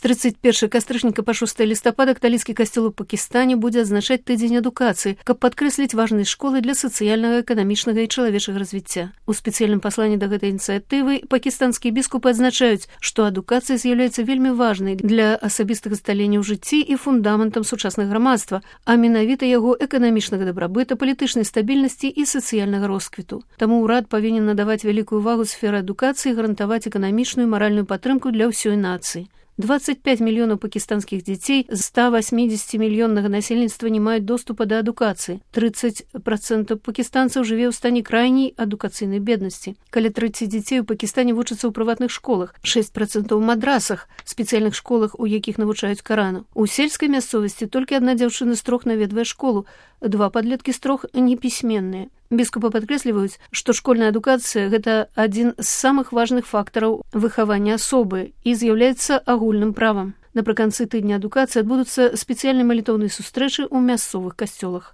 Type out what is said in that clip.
31 кастрычніка па 6 лістапада каталіцкі касцёл у Пакістане будзе адзначаць тыдзень адукацыі, каб падкрэсліць важнасць школы для сацыяльнага, эканамічнага і чалавечага развіцця. У спецыяльным пасланні да гэтай ініцыятывы пакістанскія біскупы адзначаюць, што адукацыя з'яўляецца вельмі важнай для асабістага сталення ў жыцці і фундаментам сучаснага грамадства, а менавіта яго эканамічнага дабрабыта, палітычнай стабільнасці і сацыяльнага росквіту. Таму ўрад павінен надаваць вялікую увагу сферы адукацыі і гарантаваць эканамічную і маральную падтрымку для ўсёй нацыі. 25 мільёнаў пакістанскіх дзяцей з 180-мільённага насельніцтва не маюць доступа да адукацыі. 30% пакістанцаў жыве ў стане крайняй адукацыйнай беднасці. Каля 30 дзяцей у Пакістане вучацца ў прыватных школах, 6% у мадрасах, спецыяльных школах, у якіх навучаюць Карану. У сельскай мясцовасці толькі адна дзяўчына з 3 наведвае школу, 2 падлеткі з 3 непісьменныя. Біскупы падкрэсліваюць, што школьная адукацыя – гэта адзін з самых важных фактараў выхавання асобы і з'яўляецца агульным правам. Напрыканцы тыдня адукацыі адбудуцца спецыяльныя малітоўныя сустрэчы ў мясцовых касцёлах.